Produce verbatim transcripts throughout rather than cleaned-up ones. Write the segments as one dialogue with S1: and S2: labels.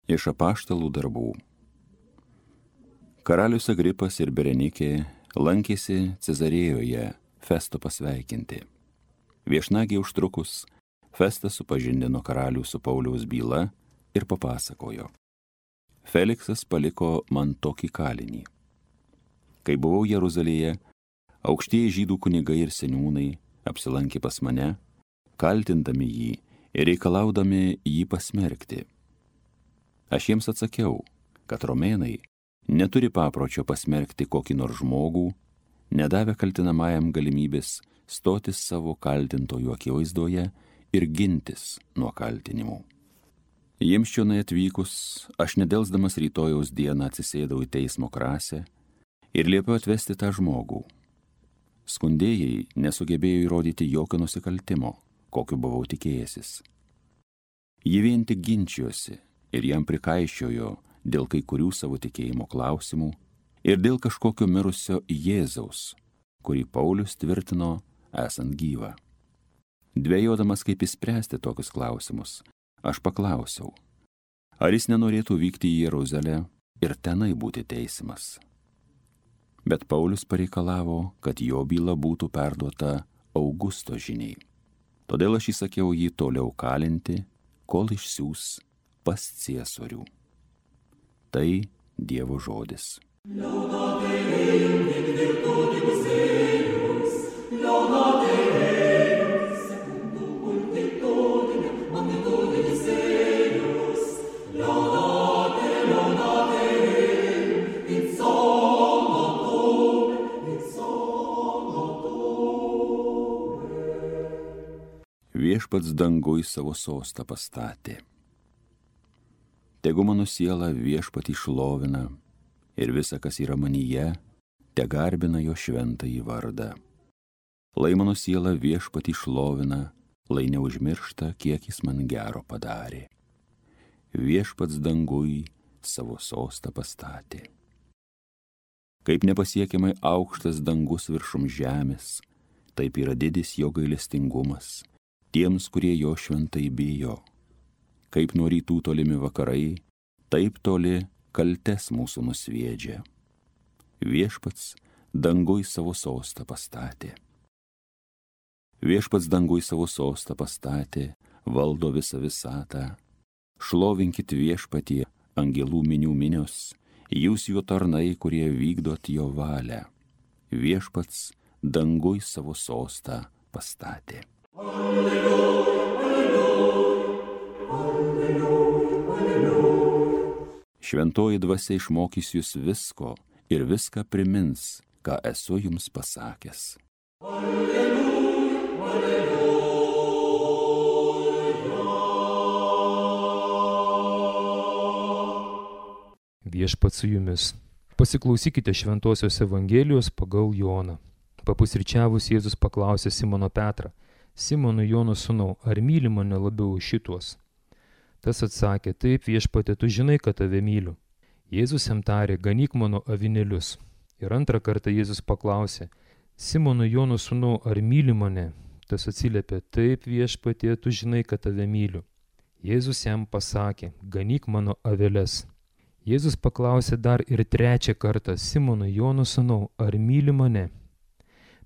S1: Iš apaštalų darbų. Karalius Agripas ir Berenikė lankėsi Cezarėjoje Festo pasveikinti. Viešnagiai užtrukus, Festas supažindino karalių su Pauliaus byla ir papasakojo. Feliksas paliko man tokį kalinį. Kai buvau Jeruzalėje, aukštieji žydų kunigai ir seniūnai apsilankė pas mane, kaltindami jį ir reikalaudami jį pasmerkti. Aš jiems atsakiau, kad romėnai neturi papročio pasmerkti kokį nors žmogų, nedavę kaltinamajam galimybės stotis savo kaltintojų akivaizdoje ir gintis nuo kaltinimų. Jiems čionai atvykus, aš nedelsdamas rytojaus dieną atsisėdau į teismo krasę ir liepiau atvesti tą žmogų. Skundėjai nesugebėjo įrodyti jokio nusikaltimo, kokiu buvau tikėjęsis. Jie vien tik ginčijosi ir jam prikaiščiojo dėl kai kurių savo tikėjimo klausimų ir dėl kažkokio mirusio Jėzaus, kurį Paulius tvirtino esant gyvą. Dvejodamas, kaip išspręsti tokius klausimus, aš paklausiau, ar jis nenorėtų vykti į Jeruzalę ir tenai būti teisiamas. Bet Paulius pareikalavo, kad jo byla būtų perduota Augusto žiniai. Todėl aš įsakiau jį toliau kalinti, kol išsiųs pas Ciesorių. Tai Dievo žodis. Viešpats danguj savo sostą pastatė. Tegu mano siela viešpatį šlovina ir visa, kas yra manyje, te garbina jo šventąjį vardą. Lai mano siela viešpatį šlovina, lai neužmiršta, kiek jis man gero padarė. Viešpats danguj savo sostą pastatė. Kaip nepasiekiamai aukštas dangus viršum žemės, taip yra didis jo gailestingumas tiems, kurie jo šventai bijo. Kaip nuo rytų tolimi vakarai, taip toli kaltes mūsų nusviedžia. Viešpats danguj savo sostą pastatė. Viešpats danguj savo sostą pastatė, valdo visą visatą. Šlovinkit viešpatie, angelų minių minios, jūs jo tarnai, kurie vykdot jo valią. Viešpats danguj savo sostą pastatė. Alleluja, alleluja, alleluja, alleluja. Šventoji dvasia išmokys jūs visko ir viską primins, ką esu jums pasakęs. Alleluja, alleluja.
S2: Viešpats su jumis. Pasiklausykite Šventosios Evangelijos pagal Joną. Papusryčiavus Jėzus paklausė Simono Petrą: Simonui Jono sūnau, ar myli mane labiau už šituos? Tas atsakė: Taip, viešpatie, tu žinai, kad tave myliu. Jėzus jam tarė: Ganyk mano avinėlius. Ir antrą kartą Jėzus paklausė: Simonui Jono sūnau, ar myli mane? Tas atsiliepė: Taip, viešpatie, tu žinai, kad tave myliu. Jėzus jam pasakė: Ganyk mano aveles. Jėzus paklausė dar ir trečią kartą: Simonui Jono sūnau, ar myli mane?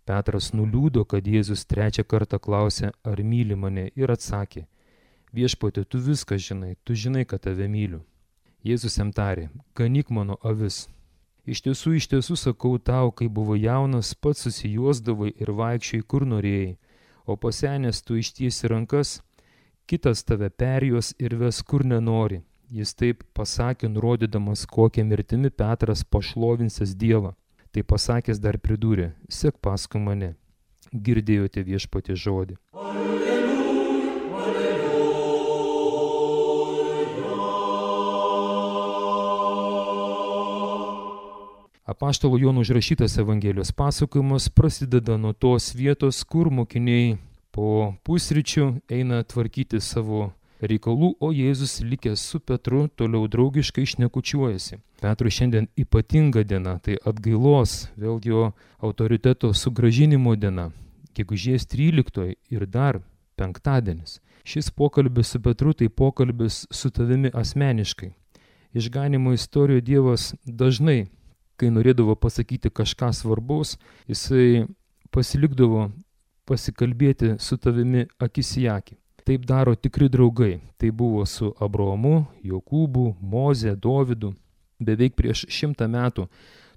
S2: Petras nuliūdo, kad Jėzus trečią kartą klausė, ar myli mane, ir atsakė: Viešpatie, tu viską žinai, tu žinai, kad tave myliu. Jėzus jam tarė: Ganyk mano avis. Iš tiesų, iš tiesų sakau tau, kai buvo jaunas, pats susijuosdavai ir vaikščiai kur norėjai, o pasenęs tu ištiesi rankas, kitas tave perjuos ir ves kur nenori. Jis taip pasakė, nurodydamas, kokią mirtimi Petras pašlovinsis Dievą. Tai pasakęs dar pridūrė: sek paskui mane. Girdėjote viešpatie žodį. Alleluja, alleluja. Apaštalo Jono užrašytas Evangelijos pasakojimas prasideda nuo tos vietos, kur mokiniai po pusryčių eina tvarkyti savo reikalų, o Jėzus likęs su Petru toliau draugiškai šnekučiuojasi. Petrui šiandien ypatinga diena, tai atgailos, vėl jo autoriteto sugrąžinimo diena, gegužės tryliktoji ir dar penktadienis. Šis pokalbis su Petru tai pokalbis su tavimi asmeniškai. Išganimo istorijoje Dievas dažnai, kai norėdavo pasakyti kažką svarbaus, jisai pasilikdavo pasikalbėti su tavimi akis į akį. Taip daro tikri draugai. Tai buvo su Abraomu, Jokūbu, Moze, Dovydu. Beveik prieš šimtą metų,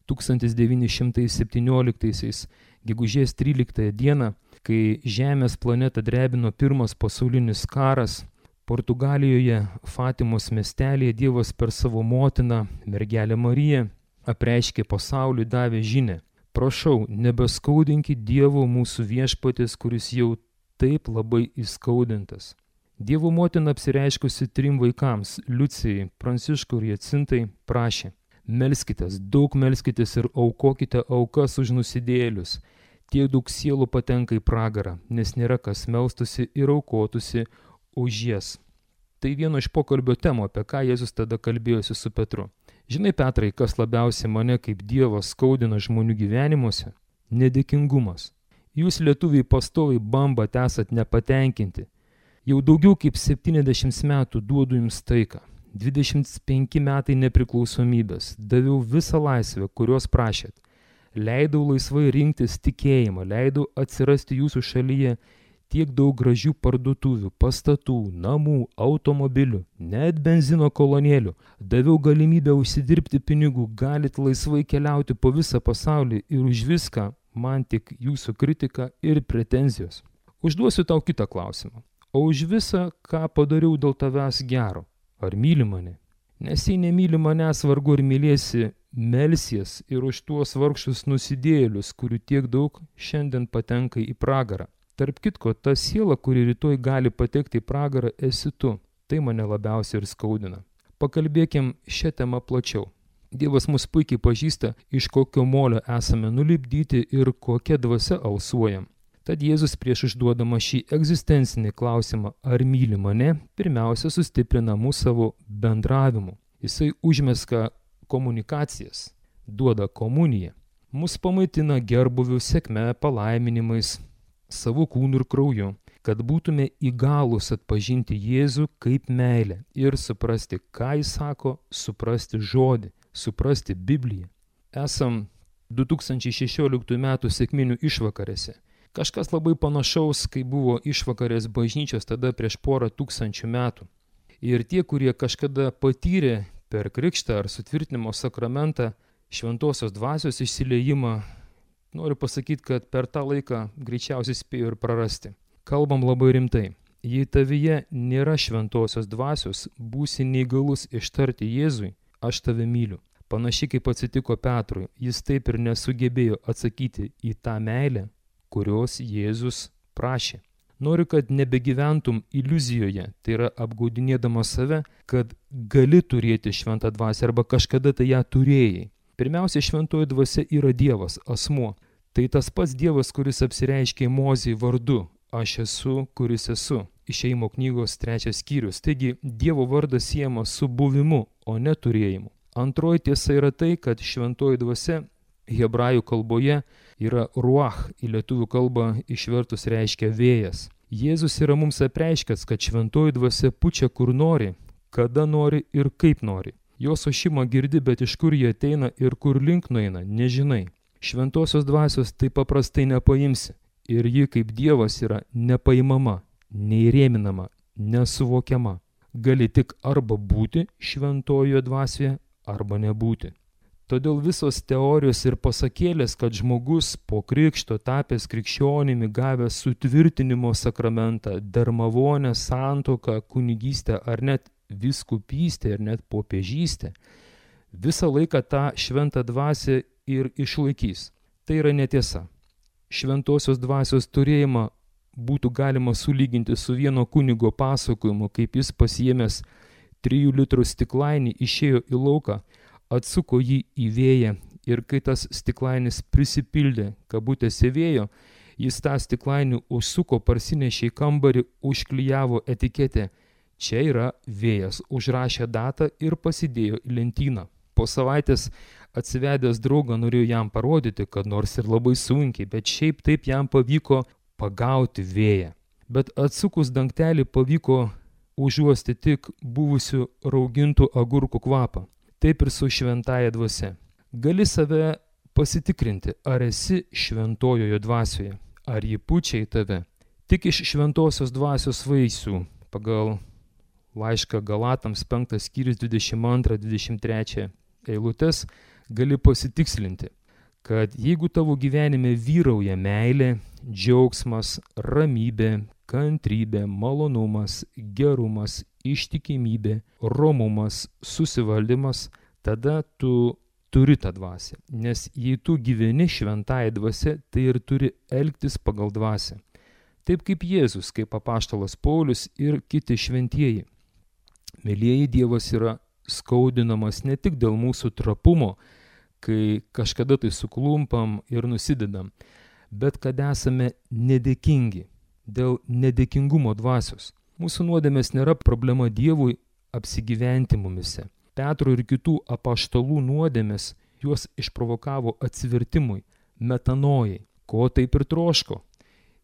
S2: tūkstantis devyni šimtai septynioliktaisiais, gegužės tryliktąją dieną, kai Žemės planetą drebino pirmas pasaulinis karas, Portugalijoje Fatimos miestelėje Dievas per savo motiną, mergelę Mariją, apreiškė pasauliui, davė žinią. Prašau, nebeskaudinkit Dievo mūsų viešpaties, kuris jau taip labai įskaudintas. Dievo motina apsireiškusi trim vaikams, Liucijai, Pranciškui ir Jacintai, prašė: melskitės, daug melskitės ir aukokite aukas už nusidėjėlius. Tiek daug sielų patenka į pragarą, nes nėra kas melstusi ir aukotųsi už jas. Tai vieno iš pokalbio temų, apie ką Jėzus tada kalbėjosi su Petru. Žinai, Petrai, kas labiausiai mane kaip Dievas skaudina žmonių gyvenimuose? Nedėkingumas. Jūs lietuviai pastoviai bambat, esat nepatenkinti. Jau daugiau kaip septyniasdešimt metų duodu jums taiką. dvidešimt penki metai nepriklausomybės. Daviau visą laisvę, kurios prašėt. Leidau laisvai rinktis tikėjimą, leidau atsirasti jūsų šalyje tiek daug gražių parduotuvių, pastatų, namų, automobilių, net benzino kolonėlių. Daviau galimybę užsidirbti pinigų, galit laisvai keliauti po visą pasaulį ir už viską man tik jūsų kritika ir pretenzijos. Užduosiu tau kitą klausimą. O už visą, ką padariau dėl tavęs gero, ar myli mane? Nes jei nemyli manęs, vargu ir mylėsi, melsies ir už tuos vargšus nusidėjėlius, kurių tiek daug šiandien patenka į pragarą. Tarp kitko, ta siela, kuri rytoj gali patekti į pragarą, esi tu. Tai mane labiausiai ir skaudina. Pakalbėkim šią temą plačiau. Dievas mus puikiai pažįsta, iš kokio molio esame nulipdyti ir kokia dvasia alsuojam. Tad Jėzus prieš užduodama šį egzistencinį klausimą, ar myli mane, pirmiausia sustiprina mūsų savo bendravimu. Jisai užmeska komunikacijas, duoda komuniją. Mus pamaitina gerbuvių, sėkme, palaiminimais, savo kūnu ir krauju, kad būtume įgalūs atpažinti Jėzų kaip meilę ir suprasti, ką jis sako, suprasti žodį, suprasti Bibliją. Esam du tūkstančiai šešioliktųjų metų sekminių išvakarėse. Kažkas labai panašaus, kai buvo išvakarės bažnyčios tada prieš porą tūkstančių metų. Ir tie, kurie kažkada patyrė per krikštą ar sutvirtinimo sakramentą šventosios dvasios išsiliejimą, noriu pasakyti, kad per tą laiką greičiausiai spėjo ir prarasti. Kalbam labai rimtai. Jei tavyje nėra šventosios dvasios, būsi neįgalus ištarti Jėzui, aš tave myliu. Panašiai kaip atsitiko Petrui, jis taip ir nesugebėjo atsakyti į tą meilę, kurios Jėzus prašė. Noriu, kad nebegyventum iliuzijoje, tai yra apgaudinėdamas save, kad gali turėti šventą dvasią arba kažkada tai ją turėjai. Pirmiausia, šventoji dvasia yra Dievas, asmuo. Tai tas pats Dievas, kuris apsireiškė Mozei vardu, aš esu, kuris esu. Išėjimo knygos trečias skyrius. Taigi, Dievo vardas siejamas su buvimu, o ne turėjimu. Antroji tiesa yra tai, kad šventoji dvasia hebrajų kalboje yra ruach, į lietuvių kalbą išvertus reiškia vėjas. Jėzus yra mums apreiškęs, kad šventoji dvasia pučia kur nori, kada nori ir kaip nori. Jos ošimą girdi, bet iš kur jie ateina ir kur link nueina, nežinai. Šventosios dvasios taip paprastai nepaimsi. Ir ji kaip Dievas yra nepaimama, neįrėminama, nesuvokiama. Gali tik arba būti šventojoje dvasioje, arba nebūti. Todėl visos teorijos ir pasakėlės, kad žmogus po krikšto tapęs krikščionimi, gavęs sutvirtinimo sakramentą, dermavonę, santuoką, kunigystę ar net vyskupystę ir net popiežystę, visą laiką tą šventą dvasią ir išlaikys. Tai yra netiesa. Šventosios dvasios turėjimą būtų galima sulyginti su vieno kunigo pasakojimu, kaip jis pasiėmęs trijų litrų stiklainį išėjo į lauką, atsuko jį į vėją ir kai tas stiklainis prisipildė kabutėse vėjo, jis tą stiklainį užsuko, parsinešė į kambarį, užklijavo etiketę. Čia yra vėjas, užrašė datą ir pasidėjo į lentyną. Po savaitės atsivedęs draugą norėjo jam parodyti, kad nors ir labai sunkiai, bet šiaip taip jam pavyko pagauti vėją. Bet atsukus dangtelį pavyko užuosti tik buvusių raugintų agurkų kvapą. Taip ir su šventąja dvasia. Gali save pasitikrinti, ar esi šventojoje dvasioje, ar ji pučia į tave. Tik iš šventosios dvasios vaisių, pagal laišką Galatams penktas skyrius dvidešimt antrą dvidešimt trečią eilutes, gali pasitikslinti, kad jeigu tavo gyvenime vyrauja meilė, džiaugsmas, ramybė, kantrybė, malonumas, gerumas, ištikimybė, romumas, susivaldymas, tada tu turi tą dvasią. Nes jei tu gyveni šventąją dvasią, tai ir turi elgtis pagal dvasią. Taip kaip Jėzus, kaip apaštalas Paulius ir kiti šventieji. Mėlieji, Dievas yra skaudinamas ne tik dėl mūsų trapumo, kai kažkada tai suklumpam ir nusidedam, bet kad esame nedėkingi dėl nedėkingumo dvasios. Mūsų nuodėmės nėra problema Dievui apsigyventi mumise. Petro ir kitų apaštalų nuodėmės juos išprovokavo atsivertimui, metanojai, ko taip ir troško.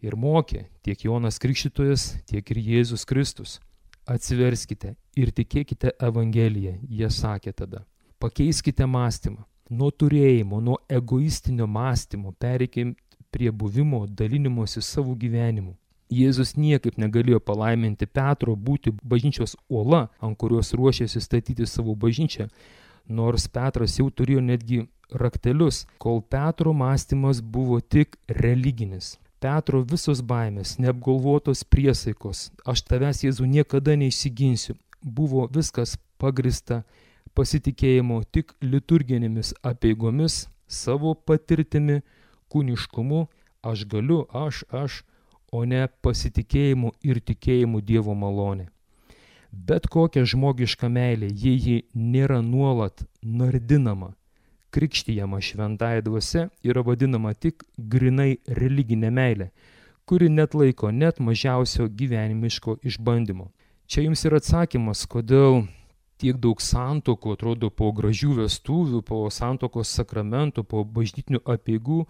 S2: Ir mokė tiek Jonas Krikštytojas, tiek ir Jėzus Kristus. Atsiverskite ir tikėkite Evangeliją, jie sakė tada. Pakeiskite mąstymą. Nuo turėjimo, nuo egoistinio mąstymo pereikim prie buvimo, dalinimosi savo gyvenimu. Jėzus niekaip negalėjo palaiminti Petro būti bažnyčios uola, ant kurios ruošėsi statyti savo bažnyčią, nors Petras jau turėjo netgi raktelius, kol Petro mąstymas buvo tik religinis. Petro visos baimės, neapgalvotos priesaikos, aš tavęs, Jėzau, niekada neišsiginsiu, buvo viskas pagrista pasitikėjimo tik liturginėmis apeigomis, savo patirtimi, kūniškumu, aš galiu, aš, aš, o ne pasitikėjimu ir tikėjimu Dievo malonė. Bet kokia žmogiška meilė, jei ji nėra nuolat nardinama, krikštijama šventąja dvasia, yra vadinama tik grinai religinė meilė, kuri net laiko net mažiausio gyvenimiško išbandymo. Čia jums yra atsakymas, kodėl tiek daug santuokų, atrodo, po gražių vestuvių, po santuokos sakramentų, po bažnytinių apeigų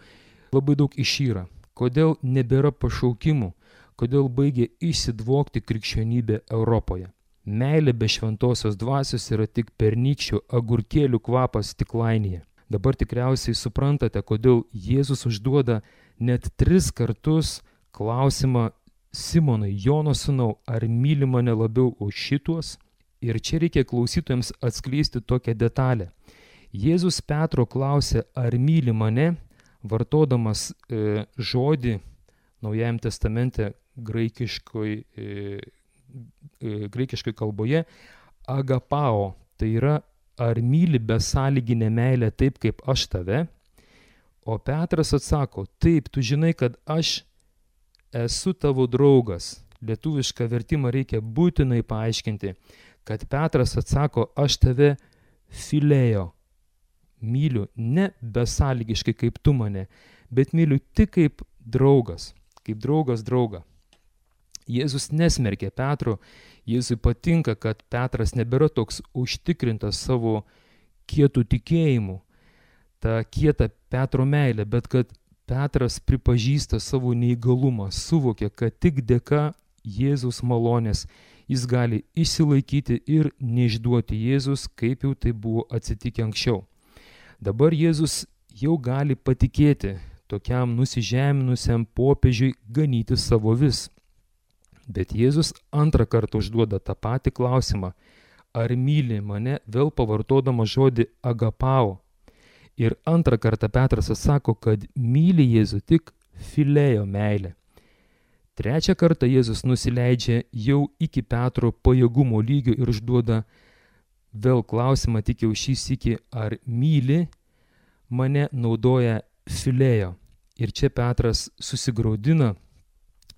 S2: labai daug išyra. Kodėl nebėra pašaukimų, kodėl baigė išsidvokti krikščionybė Europoje. Meilė be šventosios dvasios yra tik pernykščių agurkėlių kvapas stiklainėje. Dabar tikriausiai suprantate, kodėl Jėzus užduoda net tris kartus klausimą Simonai, Jono sūnau, ar myli mane labiau už šituos? Ir čia reikia klausytojams atskleisti tokią detalę. Jėzus Petro klausė, ar myli mane, vartodamas e, žodį Naujajam testamente graikiškoj, e, e, graikiškoj kalboje agapao, tai yra ar myli besąlyginę meilę taip, kaip aš tave? O Petras atsako, taip, tu žinai, kad aš esu tavo draugas. Lietuvišką vertimą reikia būtinai paaiškinti, kad Petras atsako, aš tave filėjo. Myliu ne besąlygiškai kaip tu mane, bet myliu tik kaip draugas, kaip draugas draugą. Jėzus nesmerkė Petro, Jėzui patinka, kad Petras nebėra toks užtikrintas savo kietų tikėjimu, tą kietą Petro meilę, bet kad Petras pripažįsta savo neįgalumą, suvokia, kad tik dėka Jėzaus malonės jis gali išsilaikyti ir neišduoti Jėzus, kaip jau tai buvo atsitikę anksčiau. Dabar Jėzus jau gali patikėti tokiam nusižeminusiam popiežiui ganyti savo vis. Bet Jėzus antrą kartą užduoda tą patį klausimą, ar myli mane, vėl pavartodama žodį agapao. Ir antrą kartą Petras atsako, kad myli Jėzų tik filėjo meilę. Trečią kartą Jėzus nusileidžia jau iki Petro pajėgumo lygio ir užduoda vėl klausimą, tik jau šį sykį, ar myli mane, naudoja filėjo. Ir čia Petras susigraudina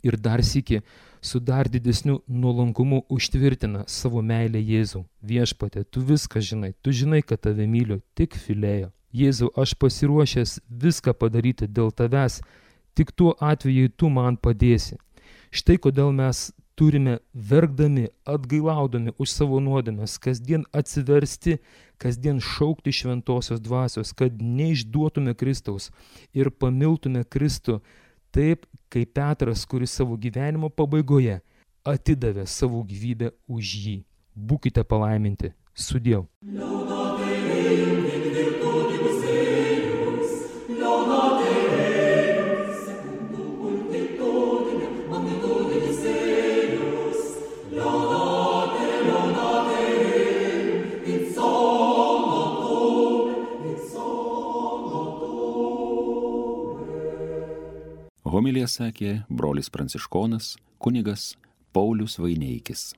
S2: ir dar sykį su dar didesniu nuolankumu užtvirtina savo meilę Jėzau. Viešpatie, tu viską žinai, tu žinai, kad tave myliu, tik filėjo. Jėzau, aš pasiruošęs viską padaryti dėl tavęs, tik tuo atveju tu man padėsi. Štai kodėl mes turime verkdami, atgailaudami už savo nuodėmes, kasdien atsiversti, kasdien šaukti šventosios dvasios, kad neišduotume Kristaus ir pamiltume Kristų taip, kaip Petras, kuris savo gyvenimo pabaigoje atidavė savo gyvybę už jį. Būkite palaiminti. Sudiev.
S1: Homiliją sakė brolis pranciškonas, kunigas Paulius Vaineikis.